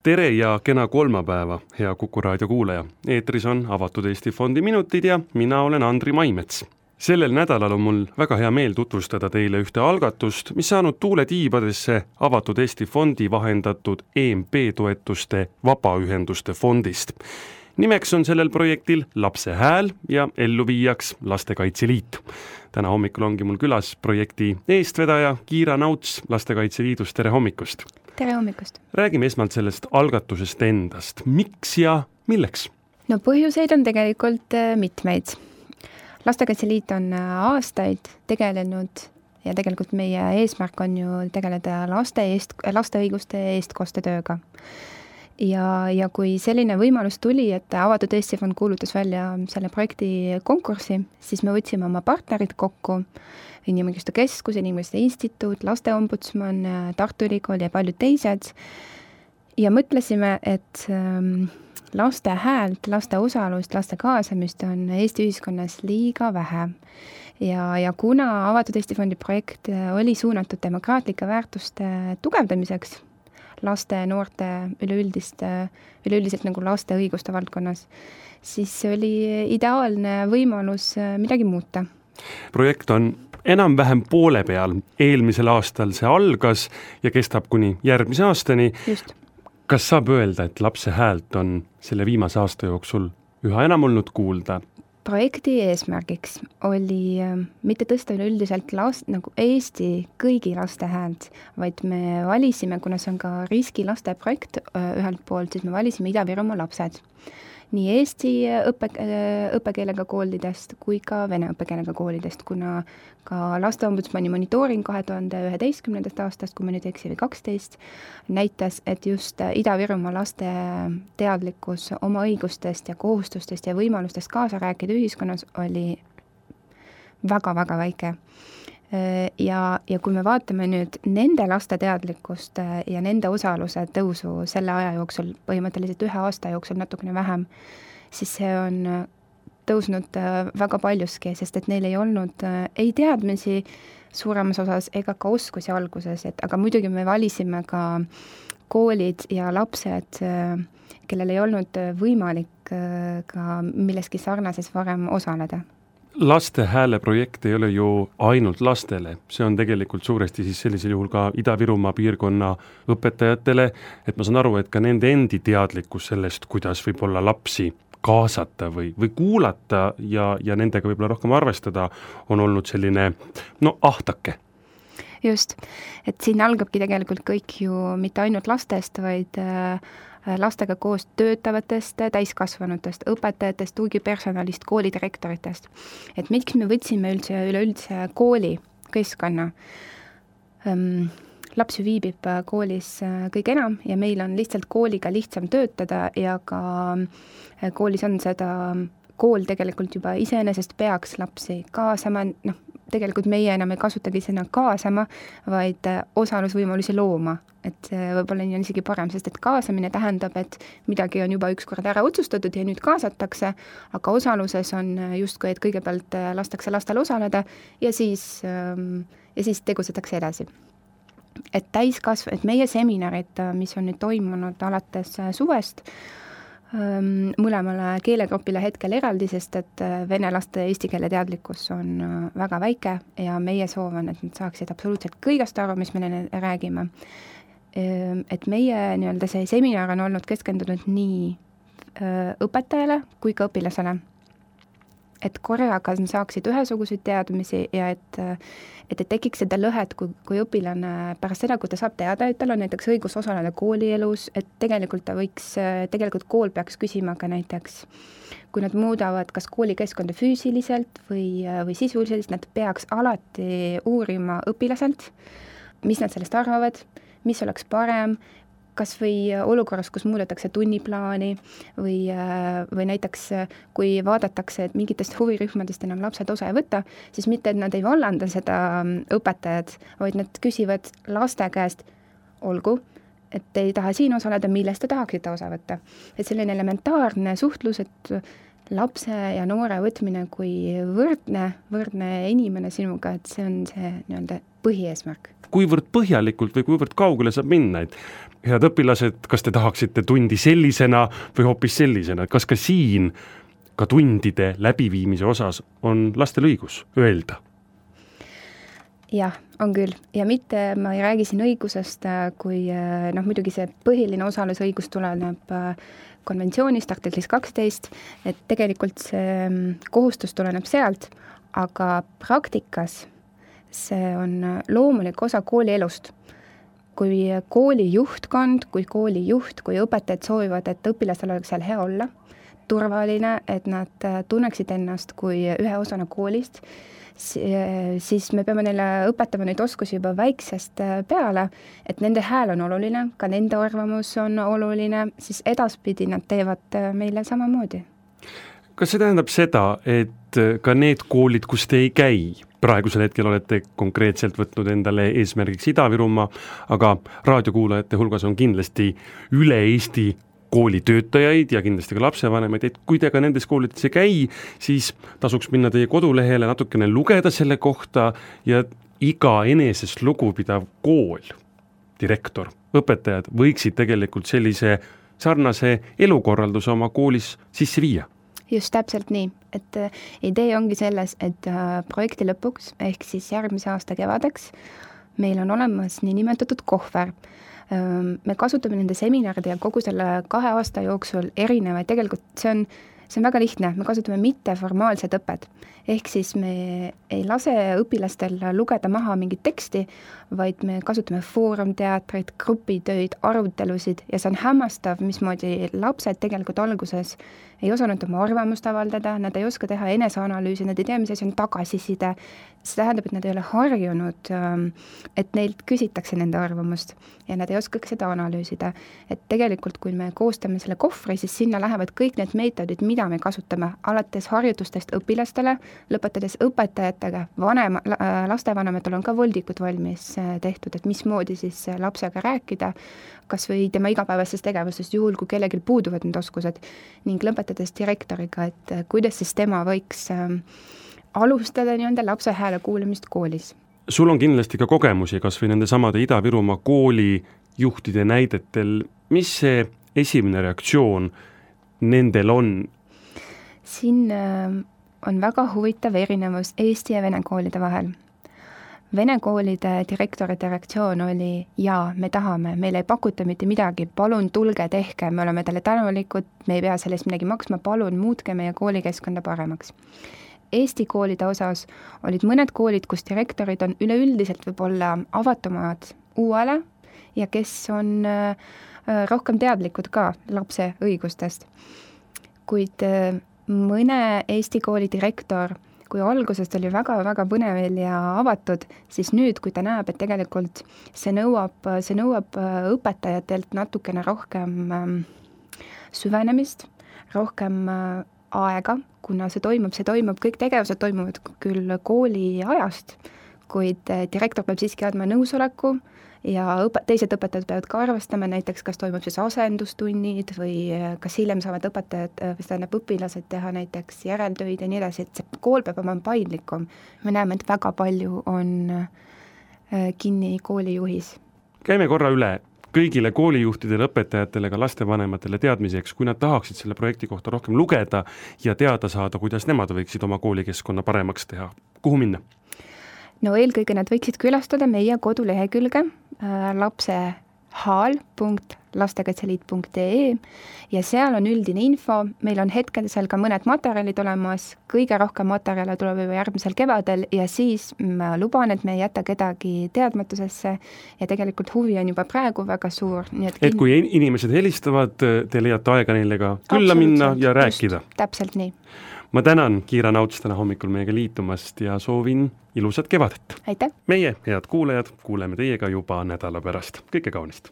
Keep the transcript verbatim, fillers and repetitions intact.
Tere ja kena kolmapäeva, hea Kuku raadio kuulaja. Eetris on Avatud Eesti Fondi minutid ja mina olen Andri Maimets. Sellel nädalal on mul väga hea meel tutvustada teile ühte algatust, mis saanud tuule tiibadesse Avatud Eesti Fondi vahendatud E M P toetuste vabaühenduste fondist. Nimeks on sellel projektil Lapse hääl ja elluviijaks Lastekaitse Liit. Täna hommikul ongi mul külas projekti eestvedaja Kiira Nauts Lastekaitse Liidust. Tere hommikust! Tere hommikust! Räägime esmalt sellest algatusest endast. Miks ja milleks? No põhjuseid on tegelikult mitmeid. Lastekaitse Liit on aastaid tegelenud ja tegelikult meie eesmärk on ju tegeleda laste, eest, laste õiguste eestkostetööga. Ja, ja kui selline võimalus tuli, et Avatud Eesti Fond kuulutas välja selle projekti konkursi, siis me võtsime oma partnerid kokku, Inimõiguste Keskus, Inimõiguste Instituut, Lasteombudsman, Tartu Ülikool ja paljud teised. Ja mõtlesime, et laste häält, laste osalust, laste kaasamist on Eesti ühiskonnas liiga vähe. Ja, ja kuna Avatud Eesti Fondi projekt oli suunatud demokraatlike väärtuste tugevdamiseks, laste, noorte, üleüldist, üleüldiselt nagu laste õiguste valdkonnas, siis oli ideaalne võimalus midagi muuta. Projekt on enam-vähem poole peal. Eelmisel aastal see algas ja kestab kuni järgmise aastani. Just. Kas saab öelda, et lapse häält on selle viimase aasta jooksul üha enam olnud kuulda? Projekti eesmärgiks oli mitte tõsta üleüldiselt last, nagu Eesti kõigi laste häält, vaid me valisime, kuna see on ka riski laste projekt ühelt poolt, siis me valisime Ida-Virumaa lapsed. Nii Eesti õppe, õppekeelega koolidest kui ka vene õppekeelega koolidest, kuna ka Lasteombudsmani monitooring kahe tuhande üheteistkümnendast aastast, kui me nüüd eksi või kaksteist, näitas, et just Ida-Virumaa laste teadlikkus oma õigustest ja kohustustest ja võimalustest kaasa rääkida ühiskonnas oli väga-väga väike. Ja, ja kui me vaatame nüüd nende laste teadlikkust ja nende osaluse tõusu selle aja jooksul, põhimõtteliselt ühe aasta jooksul natukene vähem, siis see on tõusnud väga paljuski, sest et neil ei olnud ei teadmisi suuremas osas ega ka oskusi alguses, et, aga muidugi me valisime ka koolid ja lapsed, kellel ei olnud võimalik ka milleski sarnases varem osaleda. Laste hääle projekt ei ole ju ainult lastele, see on tegelikult suuresti siis sellisel juhul ka Ida-Virumaa piirkonna õpetajatele, et ma saan aru, et ka nende endi teadlikkus sellest, kuidas võib-olla lapsi kaasata või, või kuulata ja, ja nendega võib-olla rohkem arvestada, on olnud selline, no ahtake. Just, et siin algabki tegelikult kõik ju mitte ainult lastest, vaid lastega koos töötavatest, täiskasvanutest, õpetajatest, tugipersonalist, koolidirektoritest. Et miks me võtsime üldse, üleüldse kooli keskkonna? Laps viibib koolis kõige enam ja meil on lihtsalt kooliga lihtsam töötada ja ka koolis on seda, kool tegelikult juba iseenesest peaks lapsi kaasama, noh, tegelikult meie enam ei kasutagi sõna kaasama, vaid osalusvõimalusi looma. Et võib-olla nii on isegi parem, sest et kaasamine tähendab, et midagi on juba ükskord ära otsustatud ja nüüd kaasatakse, aga osaluses on justkui, et kõigepealt lastakse lastel osaleda ja siis, ja siis tegutsetakse edasi. Et täiskasv, et meie seminarid, mis on nüüd toimunud alates suvest, mõlemale keelegrupile hetkel eraldi, sest et vene laste eesti keele teadlikkus on väga väike ja meie soov on, et nad saaksid absoluutselt kõigest aru, mis me neile räägime. Et meie nii-öelda see seminar on olnud keskendunud nii õpetajale kui ka õpilasele. Et korraga saaksid ühesuguseid teadmisi ja et, et, et tekiks seda lõhet, kui, kui õpilane pärast seda, kui ta saab teada, et tal on näiteks õigus osaleda koolielus, et tegelikult ta võiks, tegelikult kool peaks küsima ka näiteks, kui nad muudavad kas koolikeskkonda füüsiliselt või, või sisuliselt, nad peaks alati uurima õpilaselt, mis nad sellest arvavad, mis oleks parem, kas või olukorras, kus muudetakse tunniplaani või, või näiteks kui vaadatakse, et mingitest huvirühmadest enam lapsed osa ei võta, siis mitte, et nad ei vallanda seda õpetajad, vaid nad küsivad laste käest, olgu, et ei taha siin osaleda, millest te tahaksite osa võtta. Et selline elementaarne suhtlus, et lapse ja noore võtmine kui võrdne, võrdne inimene sinuga, et see on see nii-öelda põhieesmärk. Kuivõrd põhjalikult või kuivõrd kaugele saab minna, et head õpilased, kas te tahaksite tundi sellisena või hoopis sellisena, kas ka siin ka tundide läbiviimise osas on lastel õigus öelda? Jah, on küll. Ja mitte ma ei räägi siin õigusest, kui noh, muidugi see põhiline osalusõigus tuleneb konventsioonist, artiklis kaksteist, et tegelikult see kohustus tuleneb sealt, aga praktikas see on loomulik osa kooli elust. Kui kooli juhtkond, kui kooli juht, kui õpetajad soovivad, et õpilastel oleks seal hea olla, turvaline, et nad tunneksid ennast kui ühe osana koolist, siis me peame neile õpetama neid oskusi juba väiksest peale, et nende hääl on oluline, ka nende arvamus on oluline, siis edaspidi nad teevad meile samamoodi. Kas see tähendab seda, et ka need koolid, kus te ei käi, praegusel hetkel olete konkreetselt võtnud endale eesmärgiks Ida-Virumaa, aga raadiokuulajate hulgas on kindlasti üle Eesti koolitöötajaid ja kindlasti ka lapsevanemaid, et kui te ka nendes koolides ei käi, siis tasuks minna teie kodulehele natukene lugeda selle kohta ja iga enesest lugupidav kool, direktor, õpetajad võiksid tegelikult sellise sarnase elukorralduse oma koolis sisse viia. Just täpselt nii, et idee ongi selles, et projekti lõpuks ehk siis järgmise aasta kevadeks meil on olemas nii nimetatud kohver. Me kasutame nende seminaride ja kogu selle kahe aasta jooksul erinevaid, tegelikult see on, see on väga lihtne, me kasutame mitteformaalsed õpped, ehk siis me ei lase õpilastel lugeda maha mingit teksti, vaid me kasutame foorumteatrit, grupitöid, arutelusid ja see on hämmastav, mismoodi lapsed tegelikult alguses ei osanud oma arvamust avaldada, nad ei oska teha eneseanalüüsi, nad ei tea, mis asi on tagasiside. See tähendab, et nad ei ole harjunud, et neilt küsitakse nende arvamust ja nad ei oska seda analüüsida. Et tegelikult, kui me koostame selle kohvri, siis sinna lähevad kõik need meetodid, mida me kasutame, alates harjutustest õpilastele, lõpetades õpetajatega, vanema, lastevanematel on ka voldikud valmis tehtud, et mismoodi siis lapsega rääkida, kas või tema igapäevastest tegevustest, juhul kui kellelgi puuduvad need oskused, ning lõpetades direktoriga, et kuidas siis tema võiks alustada nii-öelda lapse hääle kuulamist koolis. Sul on kindlasti ka kogemusi, kas või nende samade Ida-Virumaa kooli juhtide näidetel. Mis see esimene reaktsioon nendel on? Siin on väga huvitav erinevus Eesti ja vene koolide vahel. Vene koolide direktorite reaktsioon oli, jaa, me tahame, meil ei pakuta mitte midagi, palun tulge tehke, me oleme teile tänulikud, me ei pea sellest midagi maksma, palun muutke meie koolikeskkonda paremaks. Eesti koolide osas olid mõned koolid, kus direktorid on üleüldiselt võib-olla avatumad uuele ja kes on rohkem teadlikud ka lapse õigustest. Kuid mõne Eesti kooli direktor, kui algusest oli väga-väga põnevel ja avatud, siis nüüd, kui ta näeb, et tegelikult see nõuab, see nõuab õpetajatelt natukene rohkem süvenemist, rohkem aega, kuna see toimub, see toimub, kõik tegevused toimuvad küll kooli ajast, kuid direktor peab siiski andma nõusoleku ja õpe, teised õpetajad peavad ka arvestama, näiteks kas toimub siis asendustunnid või kas hiljem saavad õpetajad või tähendab õpilased teha näiteks järeltöid ja nii edasi, et see kool peab olema paindlikum. Me näeme, et väga palju on kinni koolijuhis. Käime korra üle kõigile koolijuhtidele, õpetajatele, ka lastevanematele teadmiseks, kui nad tahaksid selle projekti kohta rohkem lugeda ja teada saada, kuidas nemad võiksid oma koolikeskkonna paremaks teha. Kuhu minna? No eelkõige nad võiksid külastada meie kodulehekülge äh, lapsehaal punkt lastekaitseliit punkt ee ja seal on üldine info, meil on hetkel seal ka mõned materjalid olemas, kõige rohkem materjale tuleb juba järgmisel kevadel ja siis ma luban, et me ei jäta kedagi teadmatusesse ja tegelikult huvi on juba praegu väga suur. Nii et, et kui inimesed helistavad, te leiate aega neile ka külla minna ja rääkida. Just, täpselt nii. Ma tänan Kiira Nauts täna hommikul meiega liitumast ja soovin ilusat kevadet. Aitäh! Meie, head kuulajad, kuuleme teiega juba nädala pärast. Kõike kaunist!